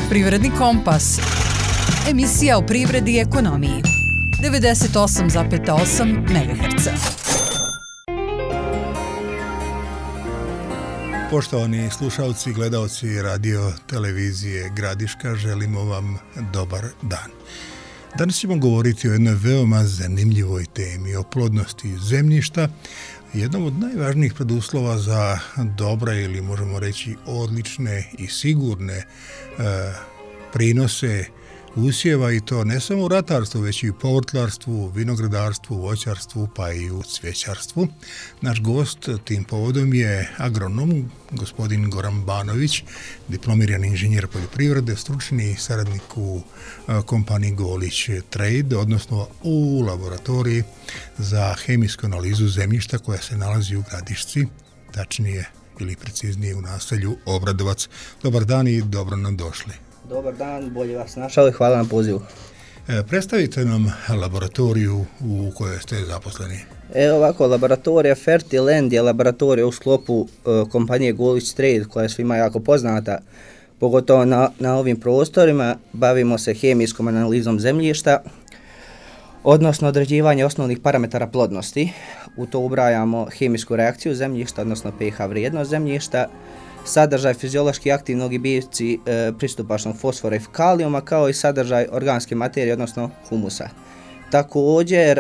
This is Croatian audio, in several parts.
Privredni kompas. Emisija o privredi i ekonomiji. 98,8 MHz. Poštovani slušalci i gledalci radio televizije Gradiška, želimo vam dobar dan. Danas ćemo govoriti o jednoj veoma zanimljivoj temi, o plodnosti zemljišta, jednom od najvažnijih preduslova za dobre ili možemo reći odlične i sigurne prinose usjeva, i to ne samo u ratarstvu, već i u povrtlarstvu, vinogradarstvu, voćarstvu pa i u cvjećarstvu. Naš gost tim povodom je agronom gospodin Goran Banović, diplomirani inženjer poljoprivrede, stručni saradnik u kompaniji Golić Trade, odnosno u laboratoriji za hemijsku analizu zemljišta koja se nalazi u Gradišci, tačnije ili preciznije u naselju Obradovac. Dobar dan i dobro nam došli. Dobar dan, bolje vas našao i hvala na pozivu. Predstavite nam laboratoriju u kojoj ste zaposleni. Ovako, laboratorija Fertiland je laboratorija u sklopu kompanije Golić Trade, koja je svima jako poznata, pogotovo na ovim prostorima. Bavimo se hemijskom analizom zemljišta, odnosno određivanje osnovnih parametara plodnosti. U to ubrajamo hemijsku reakciju zemljišta, odnosno pH vrijednost zemljišta, sadržaj fiziološki aktivnog i biljci pristupačnog fosfora i kalijuma, kao i sadržaj organske materije, odnosno humusa. Također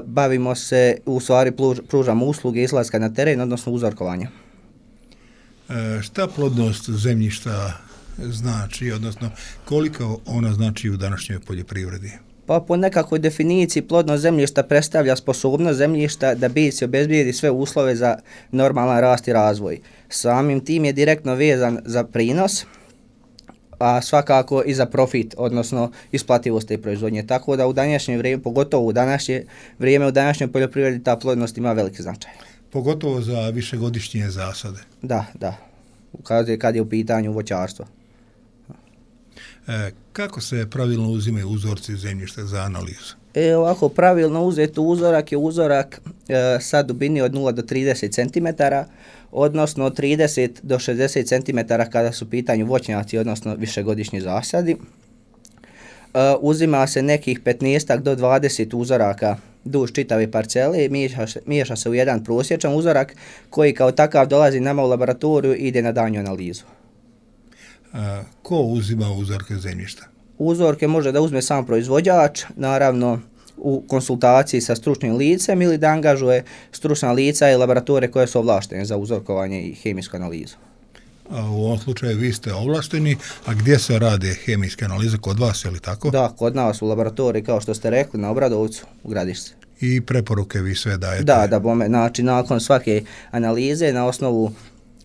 bavimo se, u stvari pružamo usluge izlaska na teren, odnosno uzorkovanja. Šta plodnost zemljišta znači, odnosno koliko ona znači u današnjoj poljoprivredi? Pa po nekakvoj definiciji plodnost zemljišta predstavlja sposobnost zemljišta da biljci obezbijedi sve uslove za normalan rast i razvoj. Samim tim je direktno vezan za prinos, a svakako i za profit, odnosno isplativost te proizvodnje. Tako da u današnje vrijeme, pogotovo u današnje vrijeme, u današnjoj poljoprivredi ta plodnost ima veliki značaj. Pogotovo za višegodišnje zasade. Da. Kad je u pitanju voćarstvo. Kako se pravilno uzimaju uzorci zemljišta za analizu? Ovako, pravilno uzeti uzorak je uzorak sa dubini od 0 do 30 cm, odnosno od 30 do 60 cm kada su u pitanju voćnjaci, odnosno višegodišnji zasadi. Uzima se nekih 15 do 20 uzoraka duž čitave parcele i miješa se u jedan prosječan uzorak koji kao takav dolazi nama u laboratoriju i ide na daljnju analizu. Ko uzima uzorke zemljišta? Uzorke može da uzme sam proizvođač, naravno u konsultaciji sa stručnim licem, ili da angažuje stručna lica i laboratorije koje su ovlaštene za uzorkovanje i hemijsku analizu. A u ovom slučaju vi ste ovlašteni, a gdje se rade hemijske analize? Kod vas, je li tako? Da, kod nas u laboratoriji, kao što ste rekli, na Obradovcu u Gradišci. I preporuke vi sve dajete? Da, znači nakon svake analize, na osnovu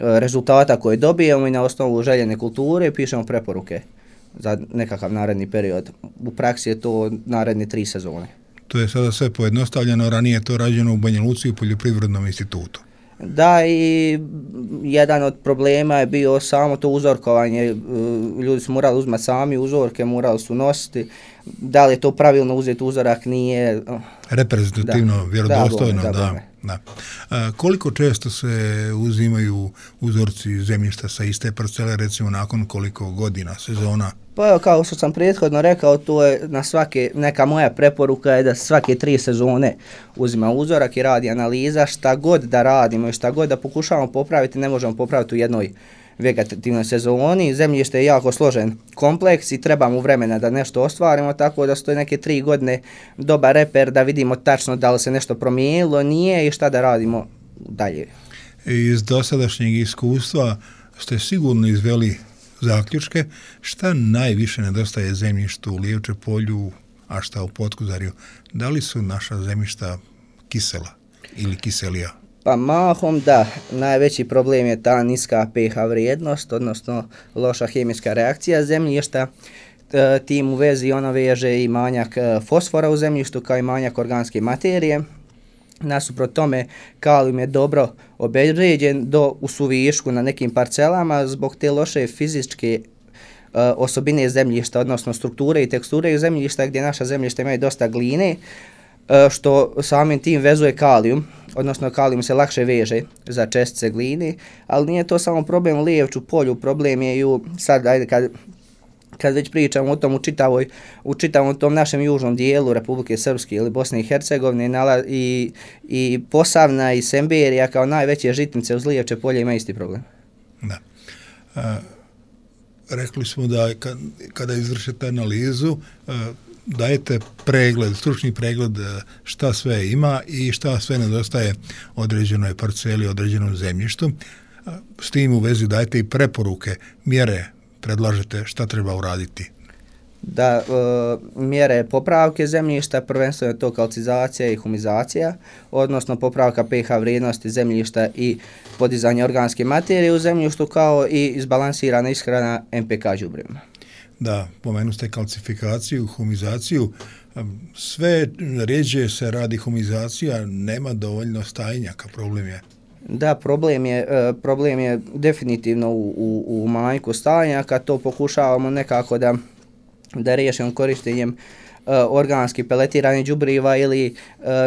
rezultata koje dobijemo i na osnovu željene kulture pišemo preporuke za nekakav naredni period. U praksi je to naredne 3 sezone. To je sada sve pojednostavljeno, ranije je to rađeno u Banja Luci u Poljoprivrednom institutu. Da, i jedan od problema je bio samo to uzorkovanje. Ljudi su morali uzmati sami uzorke, morali su nositi. Da li je to pravilno uzeti uzorak, nije... Reprezentativno, vjerodostojno, da. Koliko često se uzimaju uzorci zemljišta sa iste parcele, recimo nakon koliko godina, sezona? Pa evo, kao što sam prethodno rekao, to je neka moja preporuka je da svake 3 sezone uzima uzorak i radi analiza. Šta god da radimo i šta god da pokušavamo popraviti, ne možemo popraviti u jednoj vegetativnoj sezoni. Zemljište je jako složen kompleks i treba mu vremena da nešto ostvarimo, tako da stoje neke 3 godine dobar reper da vidimo tačno da li se nešto promijenilo, nije i šta da radimo dalje. Iz dosadašnjeg iskustva ste sigurno izveli zaključke šta najviše nedostaje zemljištu u Lijevče polju, a šta u Potkuzarju. Da li su naša zemljišta kisela ili kiselija? Pa mahom da, najveći problem je ta niska pH vrijednost, odnosno loša hemijska reakcija zemljišta. Tim u vezi ona veže i manjak fosfora u zemljištu kao i manjak organske materije. Nasuprot tome, kalijum je dobro obezvrijeđen u suvišku na nekim parcelama zbog te loše fizičke osobine zemljišta, odnosno strukture i teksture zemljišta, gdje naša zemljišta imaju dosta gline, što samim tim vezuje kalijum, odnosno kalijum se lakše veže za čestice gline, ali nije to samo problem u Lijevču polju, problem je i sad, kad kad već pričamo o tom u čitavom tom našem južnom dijelu Republike Srpske ili Bosne i Hercegovine i Posavna i Semberija kao najveće žitnice uz Lijevče polje ima isti problem. Da. Rekli smo da kada izvršite analizu, dajete pregled, stručni pregled šta sve ima i šta sve nedostaje određenoj parceli, određenom zemljištu. S tim u vezi dajete i preporuke, mjere, predlažete šta treba uraditi. Da, mjere popravke zemljišta, prvenstveno je to kalcizacija i humizacija, odnosno popravka pH vrijednosti zemljišta i podizanje organske materije u zemljištu, kao i izbalansirana ishrana NPK đubrevima. Da, pomenu ste kalcifikaciju, humizaciju, sve rjeđe se radi humizacija, nema dovoljno stajnjaka, problem je. Da, problem je definitivno u manjku stajnjaka, to pokušavamo nekako da riješimo korištenjem organski peletiranih đubriva ili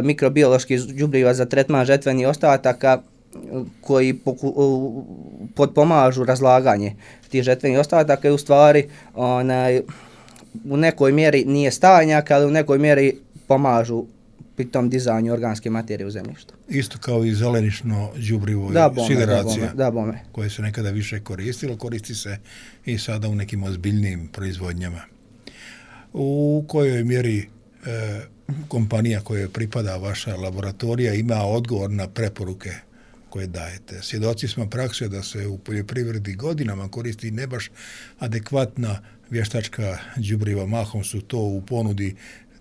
mikrobioloških đubriva za tretman žetvenih ostataka koji potpomažu razlaganje tih žetvenih ostataka i u stvari u nekoj mjeri nije stajnjak, ali u nekoj mjeri pomažu pri tom dizanju organske materije u zemljištu. Isto kao i zelenično đubrivo i sideracija, koje se nekada više koristilo, koristi se i sada u nekim ozbiljnim proizvodnjama. U kojoj mjeri kompanija kojoj pripada vaša laboratorija ima odgovor na preporuke koje dajete? Svjedoci smo prakse da se u poljoprivredi godinama koristi ne baš adekvatna vještačka đubriva, mahom su to u ponudi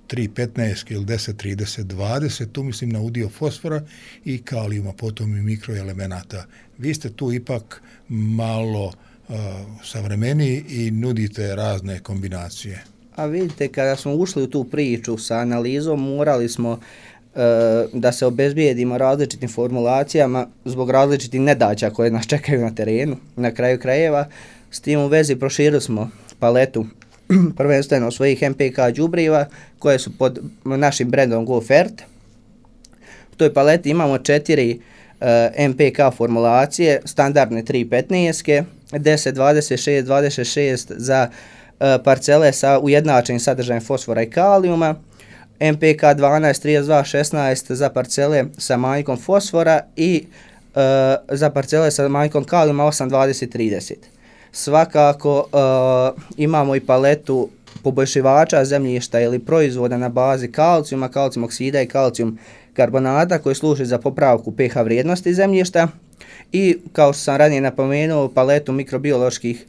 3,15 ili 10, 30, 20, tu mislim na udio fosfora i kalijuma, potom i mikroelemenata. Vi ste tu ipak malo savremeniji i nudite razne kombinacije. A vidite, kada smo ušli u tu priču sa analizom, morali smo da se obezbijedimo različitim formulacijama zbog različitih nedaća koje nas čekaju na terenu, na kraju krajeva. S tim u vezi proširili smo paletu prvenstveno svojih NPK đubriva koje su pod našim brendom GoFert. U toj paleti imamo 4 NPK formulacije, standardne 3,15, 10, 26, 26 za parcele sa ujednačenim sadržajem fosfora i kalijuma, NPK 12, 32, 16 za parcele sa manjkom fosfora i za parcele sa manjkom kalijuma 8, 20, 30. Svakako imamo i paletu poboljšivača zemljišta ili proizvoda na bazi kalcijuma, kalcijum oksida i kalcijum karbonata koji služi za popravku pH vrijednosti zemljišta i, kao što sam ranije napomenuo, paletu mikrobioloških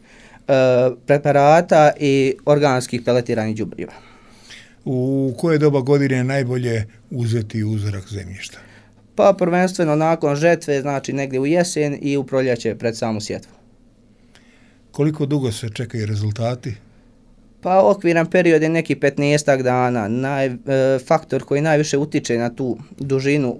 preparata i organskih peletiranih đubriva. U koje doba godine je najbolje uzeti uzorak zemljišta? Pa prvenstveno nakon žetve, znači negdje u jesen i u proljeće pred samu sjetvu. Koliko dugo se čekaju rezultati? Pa okviran period je neki 15 dana. Faktor koji najviše utiče na tu dužinu,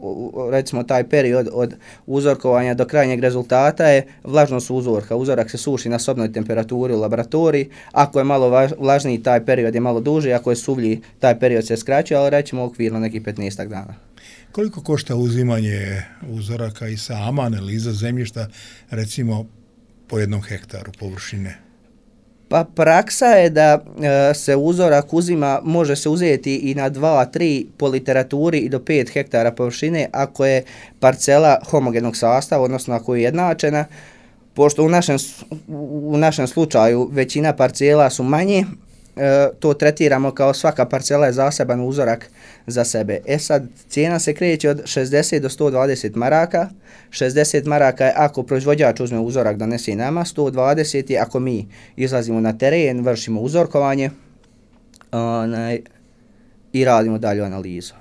recimo taj period od uzorkovanja do krajnjeg rezultata, je vlažnost uzorka. Uzorak se suši na sobnoj temperaturi u laboratoriji. Ako je malo vlažniji, taj period je malo duži, ako je suvlji, taj period se skraćuje, ali rećemo okvirno neki 15 dana. Koliko košta uzimanje uzoraka i sama analiza zemljišta, recimo po 1 hektaru površine? Pa praksa je da se uzorak uzima, može se uzeti i na 2, 3 po literaturi i do 5 hektara površine ako je parcela homogenog sastava, odnosno ako je jednačena. Pošto u našem slučaju većina parcela su manje, to tretiramo kao svaka parcela je zaseban uzorak za sebe. Sad, cijena se kreće od 60 do 120 maraka. 60 maraka je ako proizvođač uzme uzorak donese nama, 120 je ako mi izlazimo na teren, vršimo uzorkovanje i radimo dalju analizu.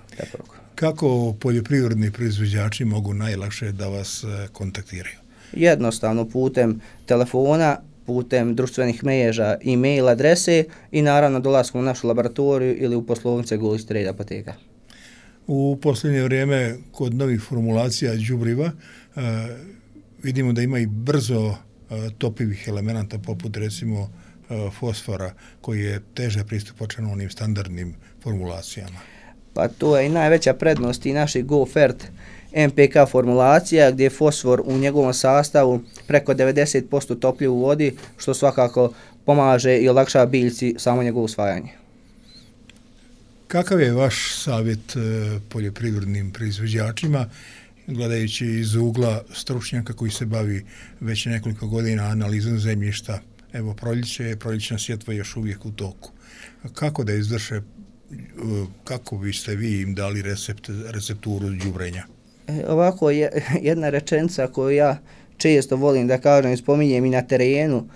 Kako poljoprivredni proizvođači mogu najlakše da vas kontaktiraju? Jednostavno putem telefona, putem društvenih mreža, e-mail adrese i naravno dolaskom u našu laboratoriju ili u poslovnice Golić Trade apoteka. U posljednje vrijeme kod novih formulacija đubriva vidimo da ima i brzo topivih elemenata poput recimo fosfora koji je teže pristupačan u onim standardnim formulacijama. Pa to je i najveća prednost i naših GoFert MPK formulacija gdje je fosfor u njegovom sastavu preko 90% topljiv u vodi, što svakako pomaže i olakšava biljci samo njegovo usvajanje. Kakav je vaš savjet poljoprivrednim proizvođačima, gledajući iz ugla stručnjaka koji se bavi već nekoliko godina analizom zemljišta? Evo, proljećna sjetva još uvijek u toku. Kako da izvrše, kako biste vi im dali recepturu đubrenja? Ovako je jedna rečenica koju ja često volim da kažem i spominjem i na terenu,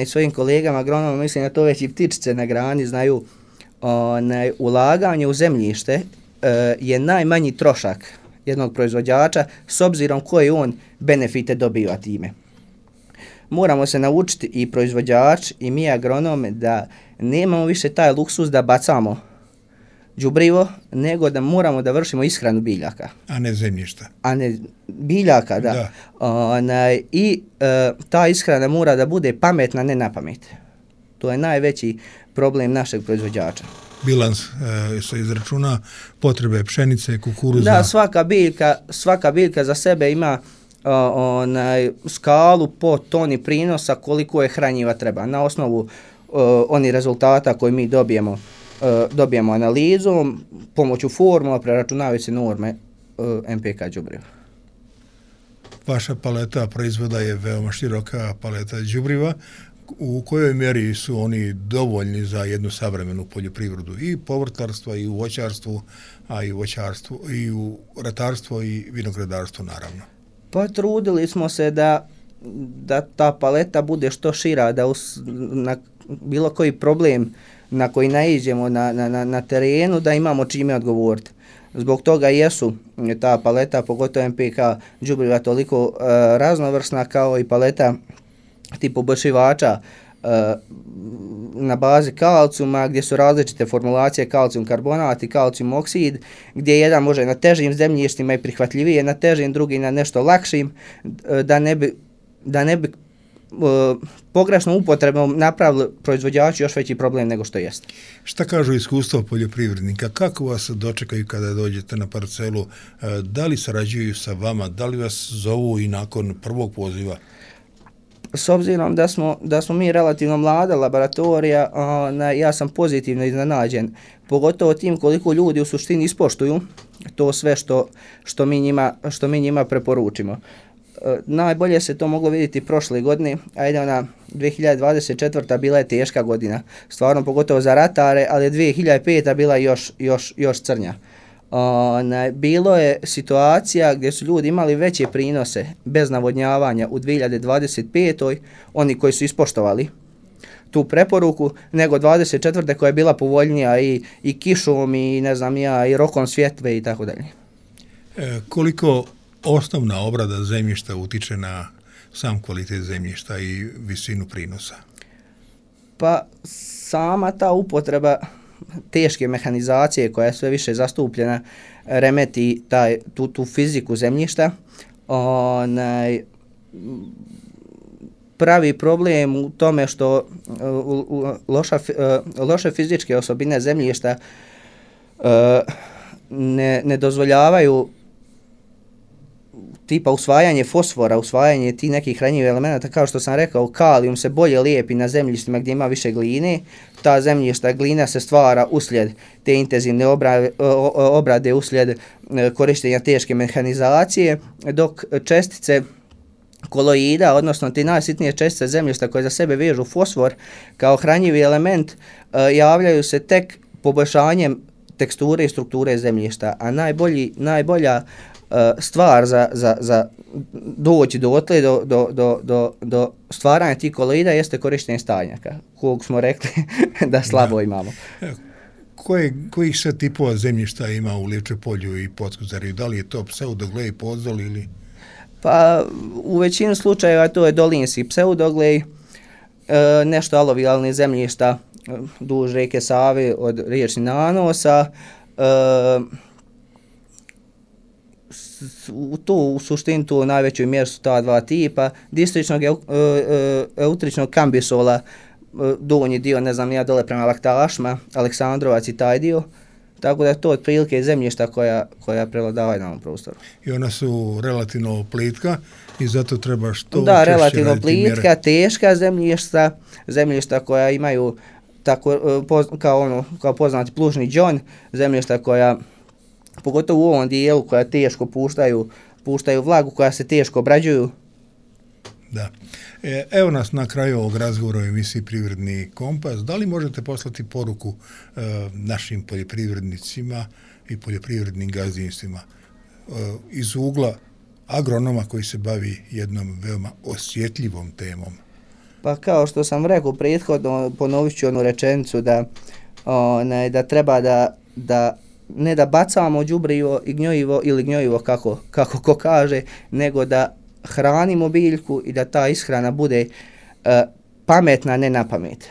i svojim kolegama agronomima, mislim da to već i ptičice na grani znaju, ulaganje u zemljište je najmanji trošak jednog proizvođača s obzirom koje on benefite dobiva time. Moramo se naučiti i proizvođač i mi agronome da nemamo više taj luksuz da bacamo đubrivo, nego da moramo da vršimo ishranu biljaka. A ne zemljišta. A ne biljaka, da. I ta ishrana mora da bude pametna, ne na pamet. To je najveći problem našeg proizvođača. Bilans se izračuna potrebe pšenice, kukuruza. Da, svaka biljka za sebe ima skalu po toni prinosa koliko je hranjiva treba. Na osnovu onih rezultata koje mi dobijemo analizom, pomoću formula preračunavaju se norme MPK đubriva. Vaša paleta proizvoda je veoma široka paleta đubriva. U kojoj mjeri su oni dovoljni za jednu savremenu poljoprivredu i povrtlarstva i u voćarstvu, a i u voćarstvu i u ratarstvu i vinogradarstvu naravno? Pa trudili smo se da ta paleta bude što šira, da na bilo koji problem na koji naiđemo na terenu da imamo čime odgovoriti. Zbog toga jesu ta paleta, pogotovo MPK đubriva, toliko raznovrsna kao i paleta tip poboljšivača na bazi kalcijuma, gdje su različite formulacije kalcijum karbonat i kalcijum oksid, gdje jedan može na težim zemljištima i prihvatljivije na težim, drugi na nešto lakšim, da ne bi pogrešnom upotrebom napravili proizvođači još veći problem nego što jeste. Šta kažu iskustva poljoprivrednika? Kako vas dočekaju kada dođete na parcelu? Da li sarađuju sa vama? Da li vas zovu i nakon prvog poziva? S obzirom da smo mi relativno mlada laboratorija, ja sam pozitivno iznenađen, pogotovo tim koliko ljudi u suštini ispoštuju to sve što mi njima preporučimo. Najbolje se to moglo vidjeti prošle godine, ajde ona 2024. bila je teška godina, stvarno pogotovo za ratare, ali 2005. bila još crnja. Bilo je situacija gdje su ljudi imali veće prinose bez navodnjavanja u 2025. oni koji su ispoštovali tu preporuku, nego 24. koja je bila povoljnija i kišom i i rokom svjetve i tako dalje. Koliko osnovna obrada zemljišta utiče na sam kvalitet zemljišta i visinu prinosa? Pa sama ta upotreba teške mehanizacije koja je sve više zastupljena remeti tu fiziku zemljišta, pravi problem u tome što loše fizičke osobine zemljišta ne dozvoljavaju tipa usvajanje fosfora, usvajanje tih nekih hranjivih elemenata, kao što sam rekao, kalijum se bolje lijepi na zemljištima gdje ima više gline, ta zemljišta, glina se stvara uslijed te intenzivne obrade, uslijed korištenja teške mehanizacije, dok čestice koloida, odnosno ti najsitnije čestice zemljišta koje za sebe vežu fosfor kao hranjivi element, javljaju se tek poboljšanjem teksture i strukture zemljišta, a najbolja stvar za doći dotle do stvaranja tih koloida jeste korištenje stajnjaka, kog smo rekli da slabo imamo. Kojih sve tipova zemljišta ima u Livče polju i Podskuzariju? Da li je to pseudoglej, podzol ili? Pa u većini slučajeva to je dolinski pseudoglej, nešto alovijalnih zemljišta duž rijeke Save od riječnih nanosa, u suštini tu u najvećoj mjeri su ta dva tipa, distričnog eutričnog kambisola, donji dio, dole prema Laktašma, Aleksandrovac i taj dio, Tako da je to otprilike zemljišta koja prevladavaju na ovom prostoru. I ona su relativno plitka i zato treba što Da, češće relativno raditi plitka, mjere. teška zemljišta koja imaju tako, kao poznati plužni džon, zemljišta koja, pogotovo u ovom dijelu, koja teško puštaju vlagu, koja se teško obrađuju. Da. Evo nas na kraju ovog razgovora o emisiji Privredni kompas. Da li možete poslati poruku našim poljoprivrednicima i poljoprivrednim gazdinstvima iz ugla agronoma koji se bavi jednom veoma osjetljivom temom? Pa kao što sam rekao prethodno, ponovit ću onu rečenicu da treba da ne da bacamo đubrivo i gnojivo ili gnojivo kako ko kaže, nego da hranimo biljku i da ta ishrana bude pametna, ne na pamet.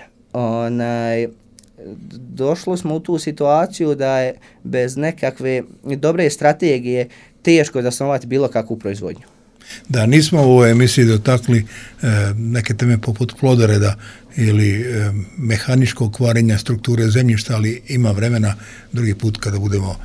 Došli smo u tu situaciju da je bez nekakve dobre strategije teško zasnovati bilo kakvu proizvodnju. Da, nismo u ovoj emisiji dotakli neke teme poput plodoreda ili mehaničkog kvarenja strukture zemljišta, ali ima vremena drugi put kada budemo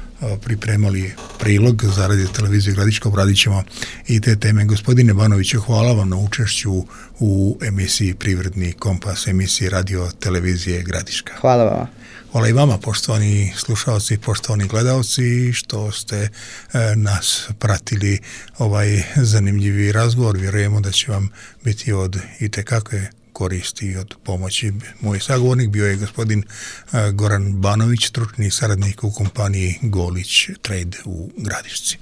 pripremali prilog za Radio televiziju Gradiška, obradit ćemo i te teme. Gospodine Banoviću, hvala vam na učešću u emisiji Privredni kompas, emisiji Radio televizije Gradiška. Hvala vam. Hvala i vama, poštovani slušalci, poštovani gledalci, što ste nas pratili ovaj zanimljivi razgovor. Vjerujemo da će vam biti od itekakve koristi i od pomoći. Moj sagovornik bio je gospodin Goran Banović, stručni saradnik u kompaniji Golić Trade u Gradišci.